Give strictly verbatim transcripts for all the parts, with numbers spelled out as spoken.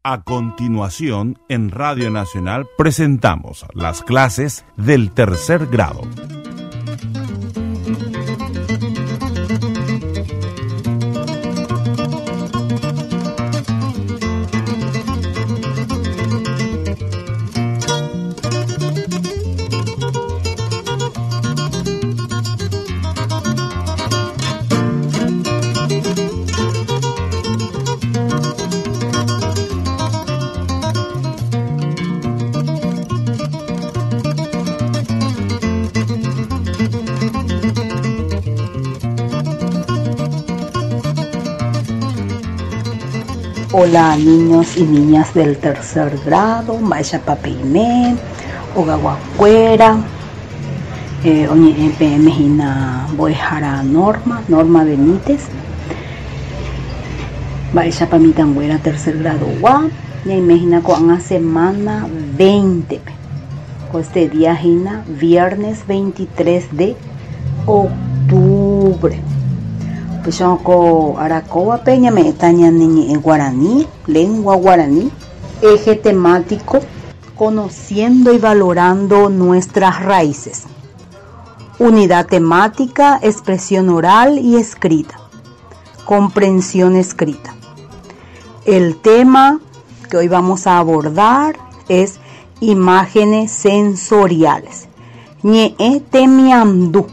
A continuación, en Radio Nacional presentamos las clases del tercer grado. Hola niños y niñas del tercer grado, mba'éichapa peime, ogaguakuéra, eh, oñe'ẽ peẽme hína mbo'ehára Norma, Norma Benítez, mba'éichapa mitãnguéra tercer gradogua, ñaime hína ko'ág̃a semana veinte-pe, ko este día hína viernes veintitrés de octubre. Upéicha ko arakóvape ñame'ẽta ñane ñe'ẽ guaraní, lengua guaraní, eje temático, conociendo y valorando nuestras raíces. Unidad temática, expresión oral y escrita. Comprensión escrita. El tema que hoy vamos a abordar es imágenes sensoriales. Ñe'ẽ temiandu.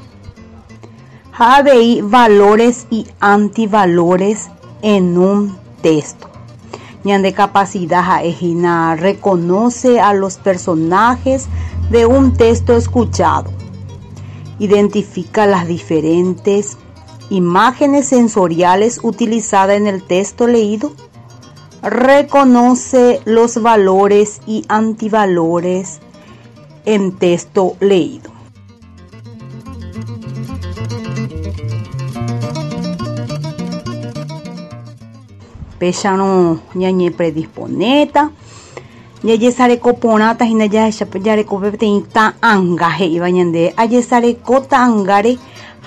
Ha avei valores y antivalores en un texto. Ñande capacidad ha'ehína reconoce a los personajes de un texto escuchado. Identifica las diferentes imágenes sensoriales utilizadas en el texto leído. Reconoce los valores y antivalores en texto leído. Péicharo ñañe predisponeta, jajesareko porãta hína jarekópe peteĩ ta'ãnga he'íva ñande ajesareko ta'ãngáre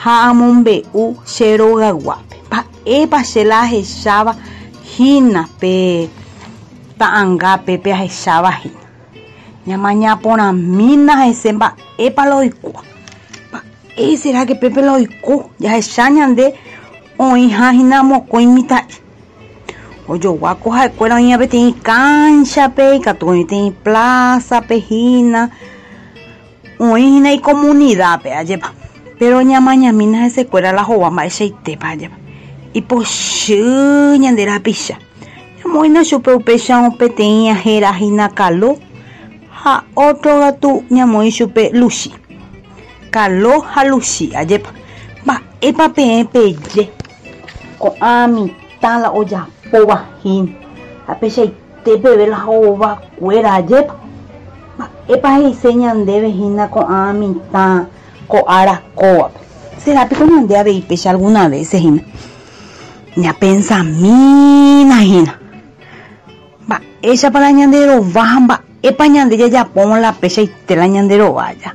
ha amombe'u che rogaguápe. Mba'épa che la ahecháva hína pe ta'ãngápe pe ahecháva hína. Ñamaña porãmína hese mba'épa la oikóva. Mba'e será que pépe la oiko jahecha ñande oĩha hína mokõi mitã'i. Ojoguáko ha'ekuéra oĩva peteĩ cancha-pe, ikatu oĩ peteĩ plaza-pe hína, oĩ hína icomunidad-pe ajépa. Pero ñamañamína hesekuéra la hova mba'eichaitépa ajépa. Ipochy ñande rapicha. Ñamoĩna chupe upéicha peteĩ héra hína Kalo ha otro katu ñamoĩ chupe Luchi. Kalo ha Luchi ajépa. Mba'épa peẽ peje ko'ã mitã la ojapóva hína ha peichaite peve la hovakuéra ajépa. Mba'épa he'ise ñandéve hína ko'ã mitã ko'ára kóvape. Será piko ñande avei péicha alguna vez hína. Ñapensamína hína. Mba'éichapa la ñanderova ha mba'épa ñande jajapóma la peichaite la ñanderovája.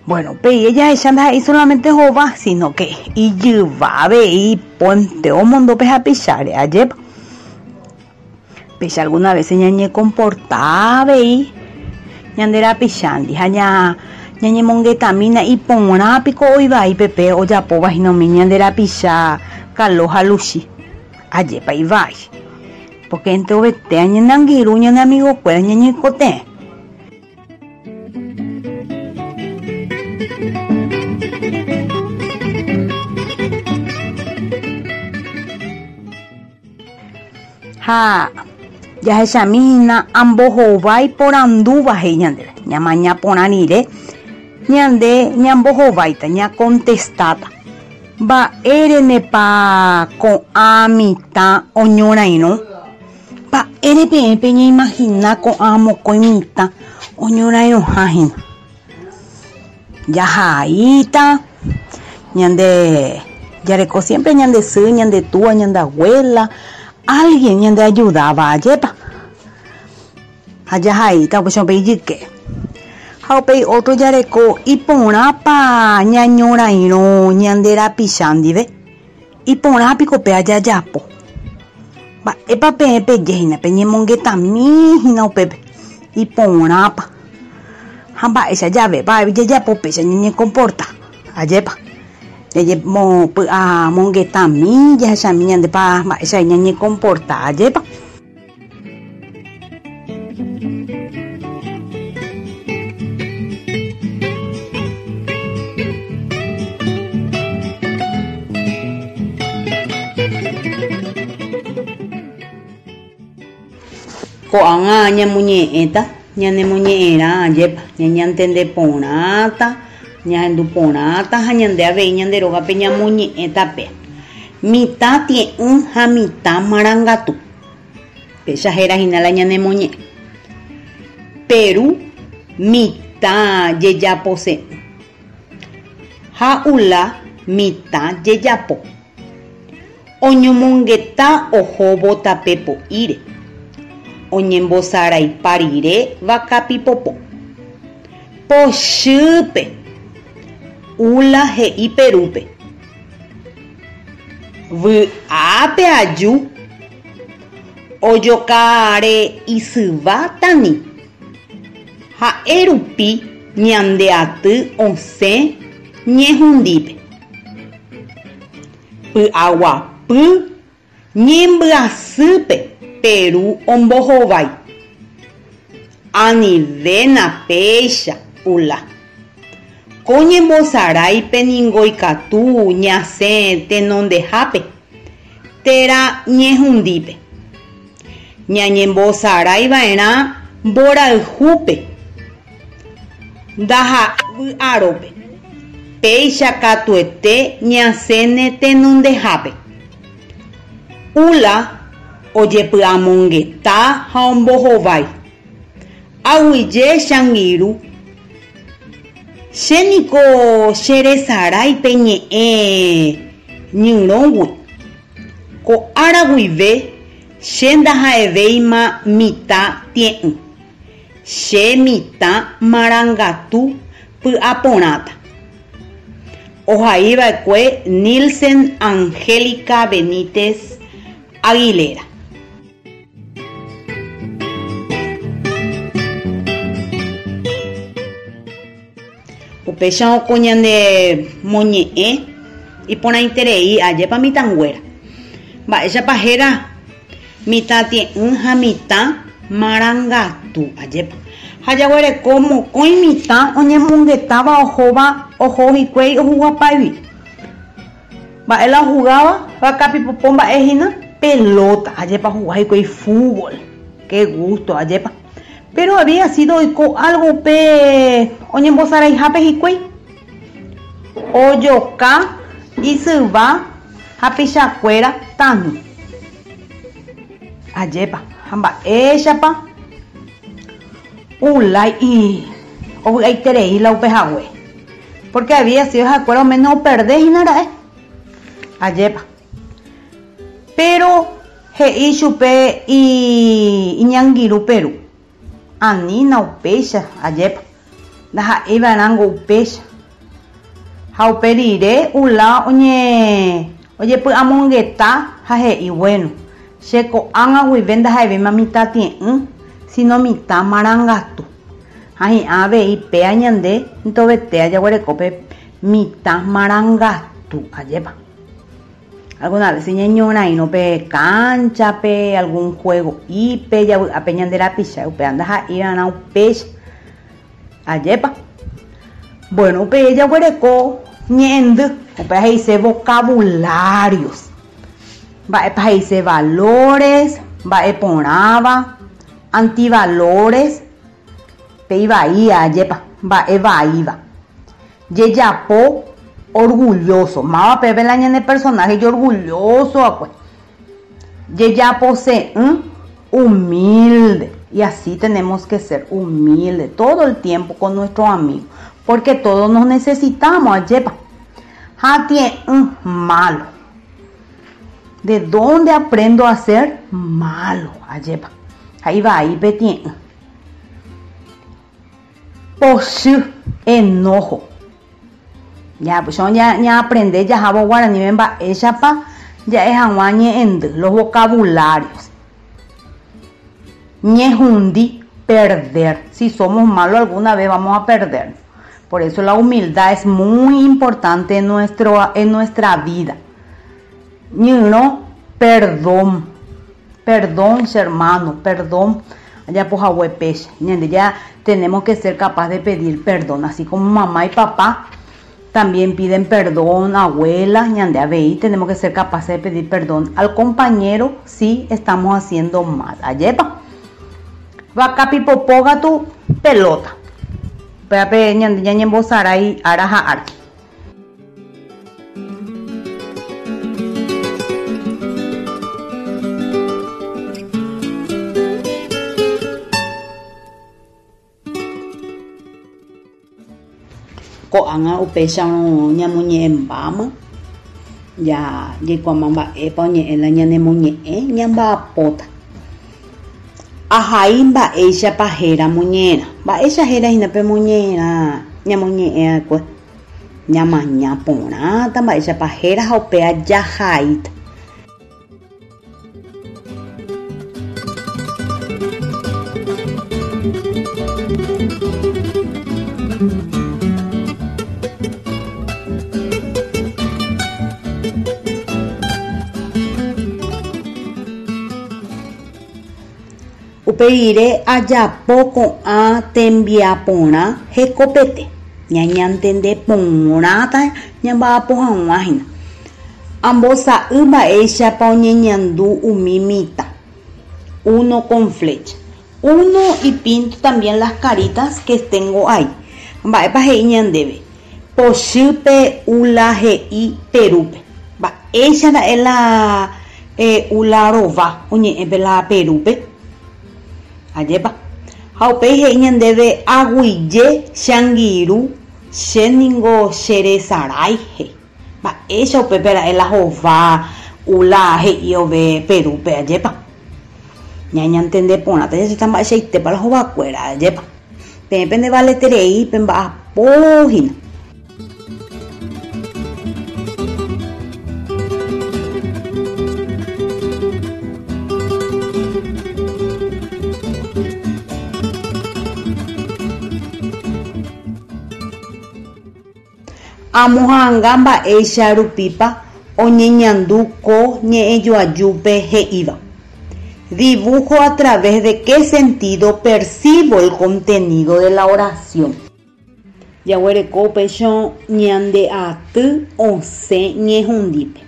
Bueno, pe ella jahecha ndaha'éi solamente hova, sino que ijyva avei iponte omondo pe hapicháre ajépa. Péicha alguna vez ñañecomporta avei ñande rapichándi ha ña ñañemongetamína iporã piko oivai pepe ojapóva hína umi ñande rapicha Kalo ha Luchi. Ajépa ivai. Porque enterovete añenangirũ ñane amigokuéra ñañeikotevẽ. Ha jahechamína ambohovái porandúva he'i ñandéve. Ñamaña porã rire ñande ñambohováita, ñacontestáta. Mba'érenepa ko'ã mitã oñorairõ. Mba'ére peẽ peñeimagina ko'ã mokõi mitã oñorairõha hína. Jahaíta ñande jareko siempre ñande sy, ñande túa, ñande abuela, alguien ñande ayudaba ajépa. Ha jahaíta upéicha upe ijyke. Ha upéi otro jareko iporãpa ñañorairõ ñande rapicha ndive. Iporã piko pe ajajapo. Mba'épa peẽ pejehína peñemongetami hína upépe iporãpa ha mba'éicha javépa jajapo péicha ñañecomporta ajépa ñañemopy'amongetami jahechami ñandépa mba'éicha ñañecomporta ajépa. Ko'ág̃a ñamoñe'ẽta ñanemoñe'ẽrã ajépa ñañantende porãta ñahendu porãta ha ñande avei ñande rógape ñamoñe'ẽtape mitã tie'ỹ ha mitã marangatu péicha héra hína la ñanemoñe'ẽ Peru mitã jejapose'ỹ ha Ula mitã jejapo oñomongeta ohóvo tape po'íre oñembosaraipa rire vakapipopo pochýpe Ula he'i Perúpe vy'ápe aju ojokáre isyva tani ha'e rupi ñande aty osẽ ñehundípe py'aguapy ñembyasýpe Peru ombohovái anivéna péicha Ula ko ñembosaráipe ningo ikatu ñasẽ tenondehápe térã ñehundípe ñañembosaraiva'erã mborayhúpe ndaha'yvy'arópe péicha katuete ñasẽne tenondehápe Ula ojepy'amongeta ha ombohovái aguyje changirũ chéniko cheresaráipe ñe'ẽ ñyrõgui ko ára guive che ndaha'evéima mitã tie'ỹ che mitã marangatu py'aporãta ohaiva'ekue Nilsen Angélica Benítez Aguilera. Upéicha oko ñande moñe'ẽ iporãiterei ajépa mitãnguéra mba'éichapa héra mitã tie'ỹ ha mitã marangatu ajépa ha jaguereko mokõi mitã oñemongetáva ohóva oho hikuái ohuguapáigui mba'e la ohugáva vakapipopo mba'e hína pelota ajépa ohuga hikuái fútbol qué gusto ajépa pero había sido oiko algo upe oñembosaraihápe hikuái ojoka isyva hapichakuéra tani ajépa ha mba'éichapa Ula ovy'aiterei la upe hague porque había sido ha'ekuéra oméno operde hína ra'e ajépa pero he'i chupe iñangirũ Peru anína upéicha ajépa ndaha'eiva'erãngo upéicha ha upe rire Ula oñe ojepy'amongeta ha he'i bueno che ko'ág̃a guive ndaha'evéima mitã tie'ỹ sino mitã marangatu ha hi'ã avei péa ñande ntovetéa jaguerekópe mitã marangatu ajépa alguna vez ñañorairõ pe canchape algún juego'ípe javy'ápe ñande rapicha upéva ndaha'eiva'erã upéicha ajépa bueno upe jaguereko ñe'ẽndy upéva he'ise vocabularios mba'épa he'ise valores mba'eporãva antivalores pe ivaíva ajépa mba'evaíva jejapo orgulloso máva pépe la ñane personaje orgulloso akue jejapose'ỹ humilde y así tenemos que ser humilde todo el tiempo con nuestro amigo porque todos nos necesitamos ajépa ha tie'ỹ malo ¿de dónde aprendo a ser malo? Ajépa ha ivaípe tie'ỹ pochy enojo ya pues ya ya aprende jahávo guaraníme mba'éichapa Ja'e hag̃ua ñe'ẽndy, los vocabularios. Ñehundi, perder. Si somos malos alguna vez vamos a perder. Por eso la humildad es muy importante en, nuestro, en nuestra vida. Ñyrõ, perdón. Perdón, hermano, perdón. Ya pues ya tenemos que ser capaz de pedir perdón, así como mamá y papá también piden perdón, abuela, ñande avei, tenemos que ser capaces de pedir perdón al compañero si estamos haciendo mal. Ayepa. Vakapipopo katu pelota. Péape ñande ñañembosarái ára ha ára. Ko'ág̃a upéicharõ ñamoñe'ẽmbáma, ja jaikuaáma mba'épa oñe'ẽ la ñanemoñe'ẽ ñamba'apóta. Ahai mba'éichapa héra moñe'ẽrã. Mba'éicha héra hína pe moñe'ẽrã ñamoñe'ẽ'akue. Ñamaña porãta mba'éichapa héra ha upéva jahaíta. Upeire ajapo ko'ã tembiaporã hekopete. Ñañantende porãta ñamba'apo hag̃ua hína. Ambosa'y mba'éichapa oñeñandu umi mitã. Uno con flecha. Uno y pinto también las caritas que tengo ahí. Mba'épa he'i ñandéve. Pochýpe ula he'i Perúpe. Mba'éicha ra'e la eh, ula rova oñe'ẽpe la Perúpe. Ajépa. Ha upéi he'i ñandéve aguyje che angirũ che ningo cheresarái he'i. Mba'éicha upépe ra'e la hova ula he'i ove Perúpe ajépa. Ñañantende porãta jachéta mba'eichaitépa la hovakuéra ajépa. Peẽ pendevaleterei pemba'apo hína. Amoha'ãnga mba'éicha rupípa oñeñandu ko ñe'ẽjoajúpe he'íva. Dibujo a través de qué sentido percibo el contenido de la oración. Jaguereko upéicha ñande aty osẽ ñehundípe.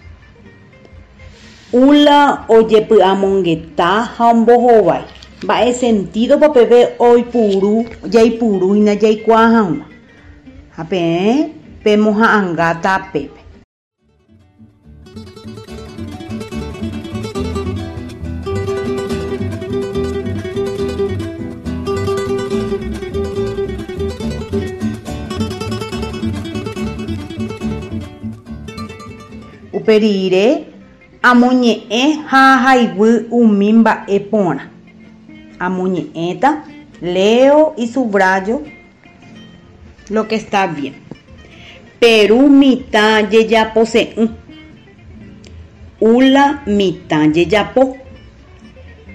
Ula ojepy'amongeta ha ombohovái. Mba'e sentido papeve oipuru jaipuru hína jaikuaa hag̃ua. Ha peẽ pemoha'ãngáta pépe. Uperire amoñe'ẽ ha ahaiguy umi mba'e porã. Amoñe'ẽta, leo y subrayo lo que está bien. Perú mitã jejapose'ỹ. Ula mitã jejapo.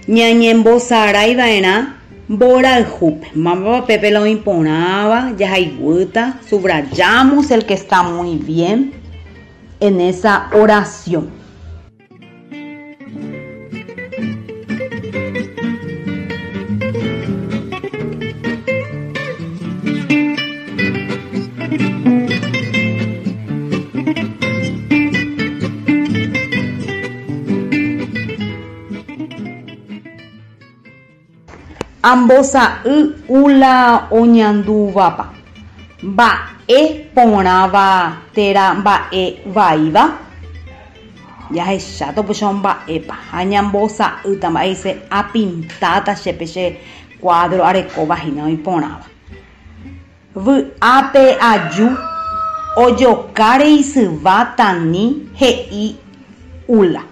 Ñañembosaraiva'erã mborayhúpe. Mávapa pépe la oĩporãva, jahaiguýta, subrayamos el que está muy bien en esa oración. Ambosa'y ula oñandúvapa. Mba'e porãva térã mba'e vaíva. Jahecháta upéicha mba'épa ha ñambosa'ýta mba'éicha apintáta chépe che cuadro arekóva hína oĩporãva. Vy'ápe aju ojokáre isyva tani he'i ula.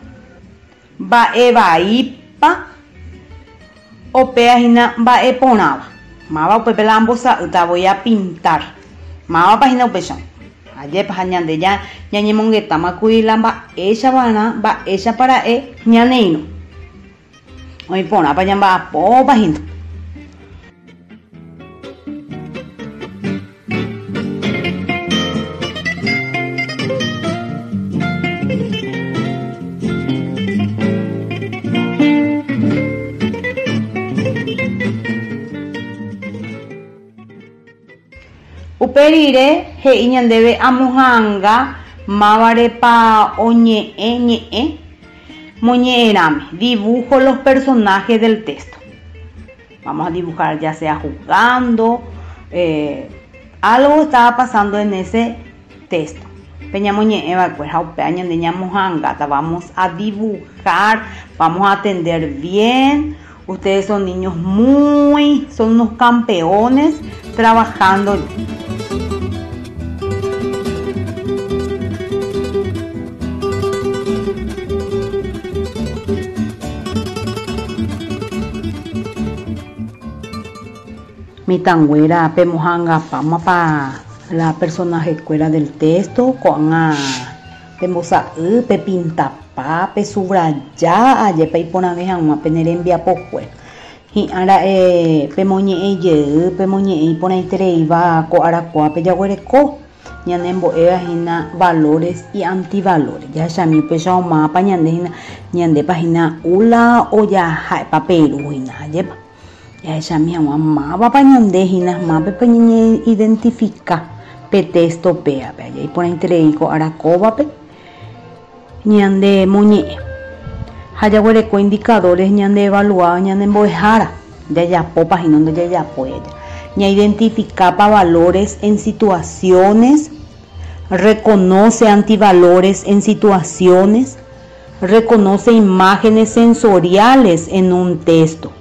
Mba'e vaípa opéa hína mba'e porãva. Máva upépe la ambosa'ýta voy a pintar. Mávapa hína upéicha. Ajépa ha ñande ja ñañemongetáma la mba'éichava'erã mba'éichapara'e ñane irũ. Oĩporãpa ñamba'apópa hína. Upe rire he'i ñandéve amoha'ãnga mávarepa oñe'ẽ ñe'ẽ moñe'ẽrãme. Dibujo los personajes del texto. Vamos a dibujar ya sea jugando, eh, algo estaba pasando en ese texto. Peñamoñe'ẽva'ekue ha upe ñande ñamoha'ãngáta. Vamos a dibujar, vamos a atender bien. Ustedes son niños muy, son unos campeones trabajando. Mitãnguéra pemoha'ãngapáma pa la personaje kuéra del texto ko'ág̃a pembosa'y, pepintapa, pesubraja ajépa iporãve hag̃ua pene rembiapokue. Hi'ára'e pemoñe'ẽjey, pemoñe'ẽ iporãitereíva ko arakuápe jaguereko ñanembo'éva hína valores y antivalores. Jahechami upéicha omápa ñande hína ñandépa hína ula ojaha'épa Peru hína ajépa. Jahechami hag̃ua mávapa ñande hína mápepa ñañeidentifica pe texto péape. Aje iporãiterei ko arakóvape ñande moñe'ẽ. Ha jaguereko indicadores ñande evaluado ñande mbo'ehára. Jajapópa hína ndojajapói aja. Ñaidentificapa valores en situaciones, reconoce antivalores en situaciones, reconoce imágenes sensoriales en un texto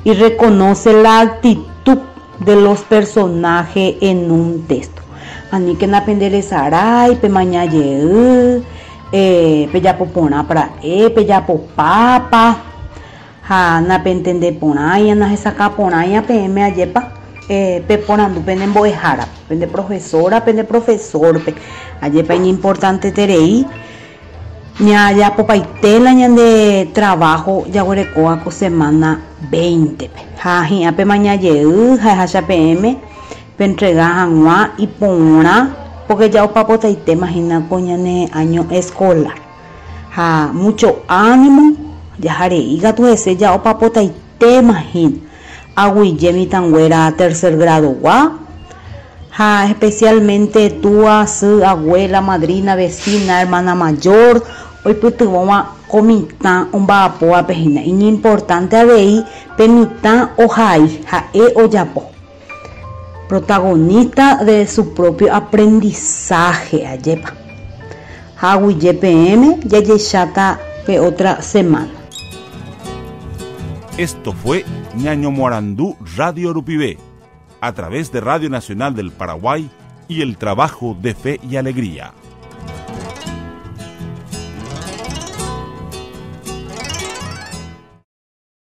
y reconoce la actitud de los personajes en un texto. Ani que napenderesarai, pemañayey, eh, pejapoporã pra'e, pejapopápa, ha napentendeporãi, nahesakãporãi peẽme ajépa, eh, peporandu pene mbo'ehára, pende profesora, pende profesorpe. Ajépa iñimportanteterei ñajapopaite la ñande trabajo jaguerekóva ko semana veinte-pe. Ha hi'ã pemañajey ha ehacha peẽme pentrega hag̃ua iporã porque ya opapotaitéma hína ko ñane año escolar. Ha mucho ánimo jaharei katu hese ja opapotaitéma hína. Aguyje mitãnguéra tercer grado-gua ha especialmente túa, sy, abuela, madrina, vecina, hermana mayor oipytyvõva ko mitã omba'apóvape hína. Iñimportante avei pe mitã ohai ha'e ojapo. Protagonista de su propio aprendizaje ajépa. Ha aguyje peẽme jajecháta pe otra semana. Esto fue Ñañomoarandú Radio Rupivé, a través de Radio Nacional del Paraguay y el trabajo de Fe y Alegría.